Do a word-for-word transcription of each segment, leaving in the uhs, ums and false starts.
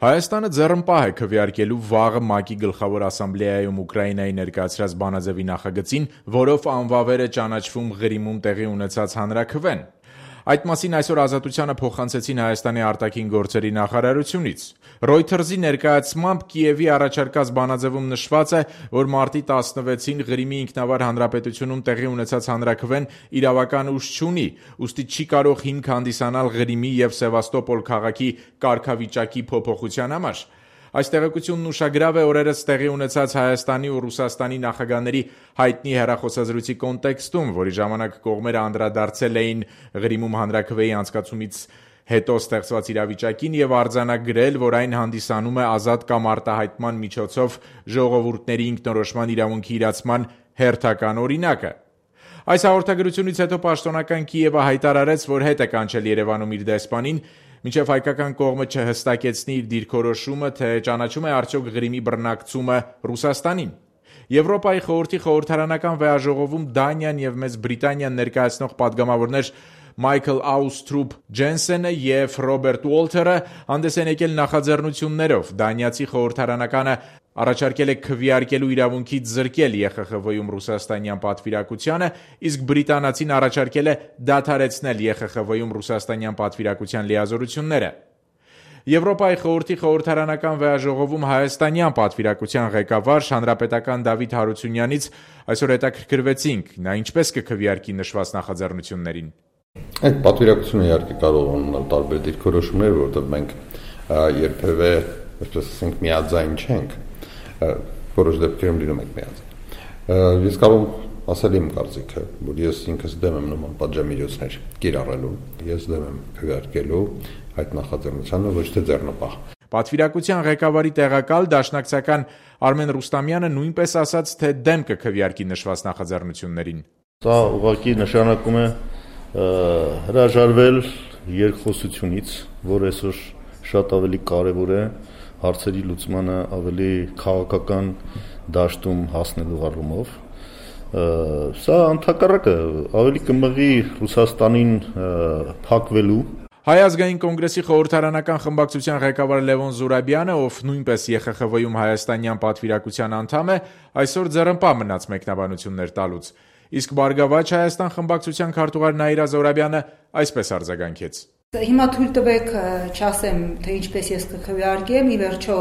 Հայաստանը ձեռնպահ է քվեարկելու վաղը ՄԱԿ-ի գլխավոր ասամբլեայում Ուկրաինայի ներկայացրած բանաձևի նախագծին, որով անվավեր է ճանաչվում Ղրիմում տեղի ունեցած հանրաքվեն։ Այդ մասին այսօր Ազատությանը փոխանցեցին Հայաստանի արտաքին գործերի նախարարությունից։ Reuters-ի ներկայացմամբ Կիևի առաջարկած բանաձևում նշված է, որ մարտի տասնվեցին Ղրիմի ինքնավար հանրապետությունում տեղի ունեցած հանրաքվեն իրավական ուժ չունի, ուստի չի կարող հիմք հանդիսանալ Ղրիմի և Սևաստոպոլ քաղաքի կարգավիճակի փոփոխության համար։ Այս տեղեկությունն ուշագրավ է օրերս տեղի ունեցած Հայաստանի ու Ռուսաստանի նախագահների հայտնի հեռախոսազրույցի կոնտեքստում, որի ժամանակ կողմերը անդրադարձել էին Ղրիմում հանրաքվեի անցկացումից հետո ստեղծված իրավիճակին և արձանագրել, որ այն հանդիսանում է ազատ կամ արտահայտման միջոցով ժողովուրդների ինքնորոշման իրավունքի իրացման հերթական օրինակը։ Այս հաղորդագրությունից հետո պաշտոնական Կիևը հայտարարեց, որ հետ է կանչել Երևանում իր դեսպանին, մինչև հայկական կողմը չհստակեցնի իր դիրքորոշումը, թե ճանաչում է արդյոք Ղրիմի բռնակցումը Ռուսաստանին։ Եվրոպայի խորհրդի խորհրդարանական վեաժողովում Դանիան և Մեծ Բրիտանիան ներկայացնող պատգամավորներ Մայքլ Աուսթրուպ Ջենսենը և Ռոբերտ Ուոլթերը հանդես են եկել նախաձեռնություններով։ Դանիացի խորհրդարանականը առաջարկել է քվեարկելու իրավունքից զրկել Է Խ Խ V-ում ռուսաստանյան պատվիրակությանը, իսկ բրիտանացին առաջարկել է դադարեցնել Է Խ Խ V-ում ռուսաստանյան պատվիրակության լիազորությունները։ Եվրոպայի խորհրդի խորհրդարանական վեաժողովում հայաստանյան պատվիրակության ղեկավար հանրապետական Դավիթ Հարությունյանից այսօր հետաքրքրվեցինք, նա ինչպես կքվեարկի նշված նախաձեռնություններին։ Այդ պատվիրակությունը իհարկե կարող է ունենալ տարբեր դիրքորոշումներ, որովհետև մենք երբևէ, այսպես ասենք, միաձայն չենք, որոշ դեպքերում լինում ենք միաձայն։ Ես կարող եմ ասել իմ կարծիքը, որ ես ինքս դեմ եմ նման պատժամիջոցներ կիրառելու, ես դեմ եմ քվեարկելու այդ նախաձեռնությանը, ոչ թե ձեռնպահ։ Պատվիրակության ղեկավարի տեղակալ դաշնակցական Արմեն Ռուստամյանը նույնպես ասաց, թե դեմ կքվեարկի նշված նախաձեռնություններին։ Դա ուղղակի նշանակում է հրաժարվել երկխոսությունից, որ այսօր շատ ավելի կարևոր է հարցերի լուծմանը ավելի քաղաքական դաշտում հասնելու առումով։ Սա ընդհակառակը ավելի կմղի Ռուսաստանին փակվելու։ Հայ ազգային կոնգրեսի խորհրդարանական խմբակցության ղեկավար Լևոն Զուրաբյանը, ով նույնպես Է Խ Խ V-ում հայաստանյան պատվիրակության անդամ է, այսօր ձեռնպահ մնաց մեկնաբանություններ տալուց։ Իսկ Բարգավաճ Հայաստան խմբակցության քարտուղար Նաիրա Զոհրաբյանը այսպես արձագանքեց. Հիմա թույլ տվեք չասեմ, թե ինչպես ես կքվեարկեմ, ի վերջո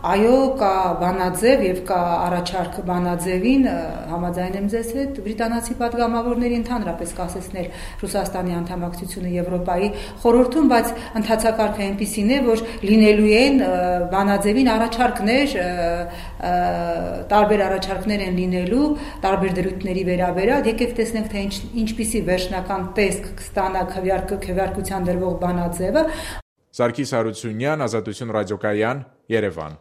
այո, կա բանաձև եւ կա առաջարկ բանաձևին, համաձայն եմ ձեզ հետ, բրիտանացի պատգամավորների ընդհանրապես կասեցներ Ռուսաստանի անդամակցությունը Եվրոպայի խորհրդում, բայց ընթացակարգը այնպիսին է, որ լինելու են բանաձևին առաջարկներ, տարբեր առաջարկներ են լինելու, տարբեր դրույթների վերաբերյալ, եկեք տեսնենք, թե ինչ, ինչպիսի վերջնական տեսք կստանա քվեարկության դրվող բանաձևը։ Սարգիս Հարությունյան, Ազատություն ռադիոկայան, Երևան։